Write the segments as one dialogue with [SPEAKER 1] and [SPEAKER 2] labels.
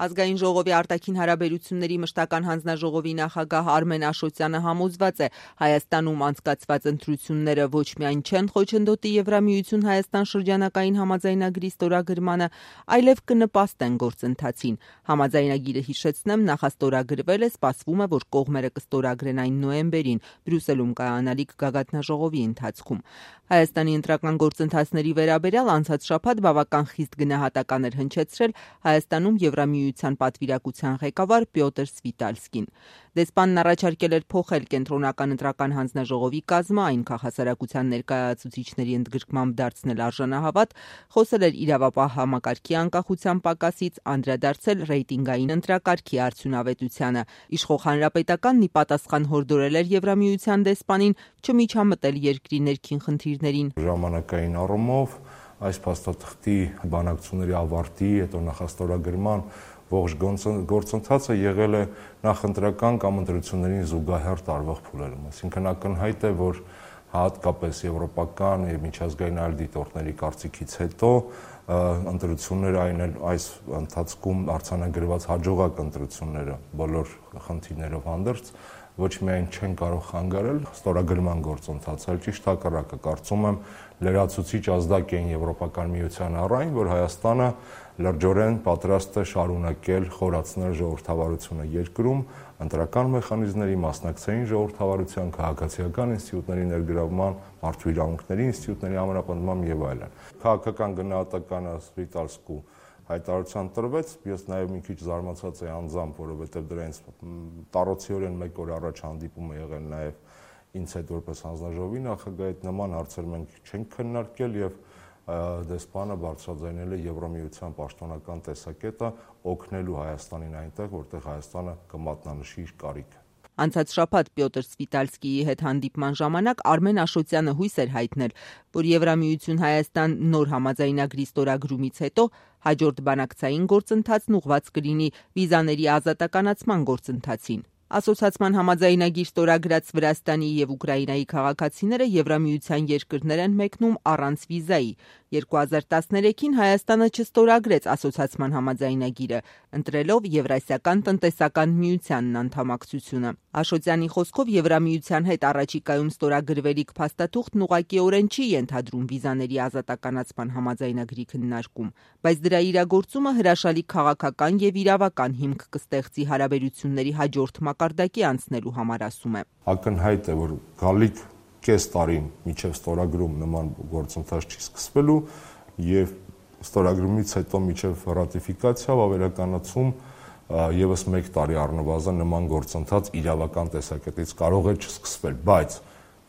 [SPEAKER 1] Ազգային ժողովի արտաքին հարաբերությունների մշտական հանձնաժողովի նախագահ Արմեն Աշոտյանը համոզված է, Հայաստանում անցկացված ընտրությունները ոչ միայն չեն խոչընդոտի Եվրամիություն Հայաստան շրջանակային համաձայնագրի ստորագրմանը, այլև կնպաստեն գործընթացին։ Համաձայնագիրը, հիշեցնեմ, նախաստորագրվել է, սպասվում է, որ կողմերը կստորագրեն այն նոյեմբերին Բրյուսելում կայանալիք գագաթնաժողովի ընթացքում։ Հայաստանի ընտրական գործընթացների վերաբերյալ անցած շաբաթ բավական խիստ գնահատական էր հնչեցրել Հայաստանում Եվրամիության պատվիրակության ղեկավար Պյոտր Սվիտալսկին։ Դեսպանն առաջարկել էր փոխել կենտրոնական ընտրական հանձնաժողովի կազմը, այն քաղաքասարակության ներկայացուցիչների ընդգրկմամբ դարձնել արժանահավատ, խոսել էր իրավապահ համակարգի անկախության պակասից, անդրադարձել ռեյտինգային ընտրակարգի արդյունավետությանը։ Իշխող հանրապետականն ի պատասխան հորդորել էր Եվրամիության դեսպանին չմիջամտել երկրի ներքին խնդիրներին։
[SPEAKER 2] Ժամանակային առումով այս փաստաթղթի բանակցությունների ավարտի, հետո նախաստորագրման ողջ գործընթացը եղել է նախընտրական կամ ընտրություններին զուգահեռ տարվող փուլերում։ Այսինքն ակնհայտ է, որ հատկապես եվրոպական եւ միջազգային այլ դիտորդների կարծիքից հետո ընտրությունները այս ընթացքում արձանագրված հաջողակ ընտրությունները բոլոր խնդիրներով հանդերձ ոչ միայն չեն կարող խանգարել ստորագրման գործընթացը, այլ ճիշտ հակառակը, կարծում եմ, լրացուցիչ ազդակ էին Եվրոպական միության առայն, որ Հայաստանը լրջորեն պատրաստ է շարունակել խորացնել ժողովրդավարությունը երկրում, ընտրական մեխանիզմների, մասնակցային ժողովրդավարության, քաղաքացիական ինստիտուտների ներգրավման, մարդու իրավունքների ինստիտուտների համապնդման եւ այլն։ Քաղաքական գնահատականը Սվիտալսկու հայտարարության տրվեց, ես նաև մի քիչ զարմացած եմ անձամբ, որովհետև դրանից տարոցիորեն մեկ օր առաջ հանդիպում է եղել նաև ինձ հետ որպես հանձնաժողովի նախագահ, այդ նման հարցեր մենք չենք քննարկել եւ դեսպանը բարձրաձայնել է Եվրամիության պաշտոնական տեսակետը օգնելու Հայաստանին այնտեղ, որտեղ Հայաստանը կմատնանշի իր կարիքը։
[SPEAKER 1] Անցած շաբաթ Պյոտր Սվիտալսկիի հետ հանդիպման ժամանակ Արմեն Աշոտյանը հույս էր հայտնել, որ Եվրամիություն Հայաստան նոր համաձայնագրի ստորագրումից հետո հաջորդ բանակցային գործընթացն ուղղված կլինի վիզաների ազատականացման գործընթացին։ Ասոցիացման համաձայնագիր ստորագրած Վրաստանի եւ Ուկրաինայի քաղաքացիները Եվրամիության երկրներ են մեկնում առանց վիզայի։ 2013-ին Հայաստանը չստորագրեց ասոցիացման համաձայնագիրը, ընտրելով Եվրասիական տնտեսական միությանն անդամակցությունը։ Աշոտյանի խոսքով Եվրամիության հետ առաջիկայում ստորագրվելիք փաստաթուղթն ուղղակիորեն չի ենթադրում վիզաների ազատականացման համաձայնագրի քննարկում, բայց դրա իրագործումը հրաշալի քաղաքական եւ իրավական հիմք կստեղծի հարաբերությունների հաջորդ մակարդակի անցնելու համար, ասում է։
[SPEAKER 2] Ակնհայտ է, որ գալիք կես տարին միջև ստորագրում նման գործընթաց չի սկսվելու եւ ստորագրումից հետո միջև ռատիֆիկացիա ավերականացում եւս 1 տարի առնվազն նման գործընթաց իրավական տեսակետից կարող է չսկսվել, բայց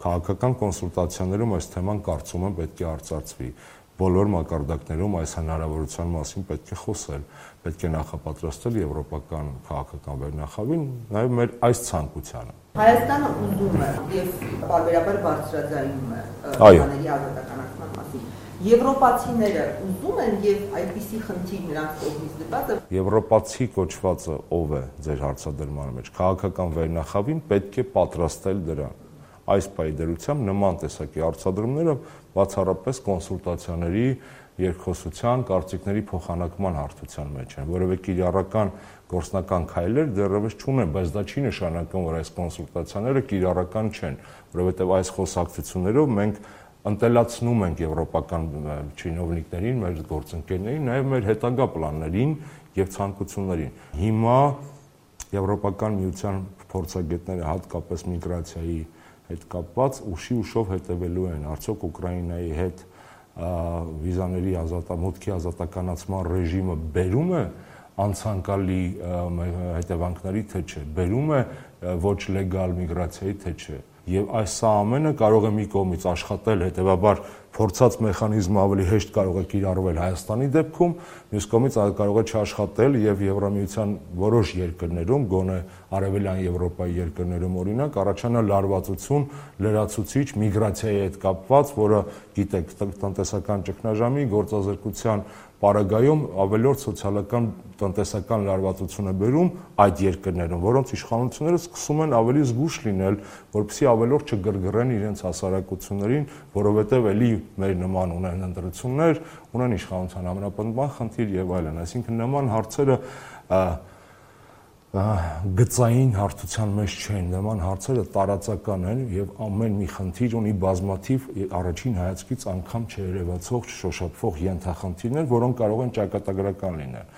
[SPEAKER 2] քաղաքական կոնսուլտացիաներում այս թեման կարծում եմ պետք է արծարծվի։ Բոլոր մակարդակներում այս հնարավորության մասին պետք է խոսել, պետք է նախապատրաստել եվրոպական քաղաքական վերնախավին, նաև մեր այս ցանկությանը։
[SPEAKER 1] Հայաստանը ուզում է եւ բարբերաբար բարձրաձայնում է վիզաների ազատականացման մասին։ Եվրոպացիները ուզում են եւ այդպիսի խնդիր նրանց կողմից դրված է։
[SPEAKER 2] Եվրոպացի կոչվածը ով է ձեր հարցադրման մեջ։ Քաղաքական վերնախավին պետք է պատրաստել դրան։ Այս պայդերությամբ նման տեսակի հարցադրումները բացառապես կոնսուլտացիաների, երկխոսության, կարծիքների փոխանակման հարթության մեջ են, որովհետեւ կիրառական գործնական քայլեր դեռևս չունեն, բայց դա չի նշանակում, որ այս կոնսուլտացիաները կիրառական չեն, որովհետեւ այս խոսակցություններով մենք ընտելացնում ենք եվրոպական չինովնիկներին, մեր գործընկերներին, նաև մեր հետագա պլաններին եւ ցանկություններին։ Հիմա Եվրոպական միության փորձագետները հատկապես միգրացիայի հետ կապված ուշով հետևելու են, արդյոք Ուկրաինայի հետ վիզաների մուտքի ազատականացման ռեժիմը բերում է անցանկալի հետևանքների, թե չէ, բերում է ոչ լեգալ միգրացիայի, թե չէ։ Եվ այս ամենը կարող է մի կողմից աշխատել, հետևաբար փորձած մեխանիզմը ավելի հեշտ կարող է կիրառվել Հայաստանի դեպքում, մյուս կողմից կարող է չաշխատել եւ Եվրամիության որոշ երկրներում, գոնե Արևելյան Եվրոպայի երկրներում օրինակ, առաջանա լարվածություն, լրացուցիչ միգրացիայի հետ կապված, որը գիտեք, տնտեսական ճգնաժամի գործազրկության պարագայում ավելորդ սոցիալական տնտեսական լարվածություն է բերում այդ երկրներում, որոնց իշխանությունները սկսում են ավելի զգուշ լինել, որպեսզի ավելորդ չգրգռեն իրենց հասարակություններին, որովհետև էլի մեր նման ունեն ընտրություններ, ունեն իշխանության ամրապնդման խնդիր եւ այլն։ Այսինքն նման հարցերը գծային հարթության մեջ չեն, նման հարցերը տարածական են եւ ամեն մի խնդիր ունի բազմաթիվ առաջին հայացքից անգամ չերևացող, չշոշափվող ենթախնդիրներ, որոնք կարող են ճակատագրական լինել։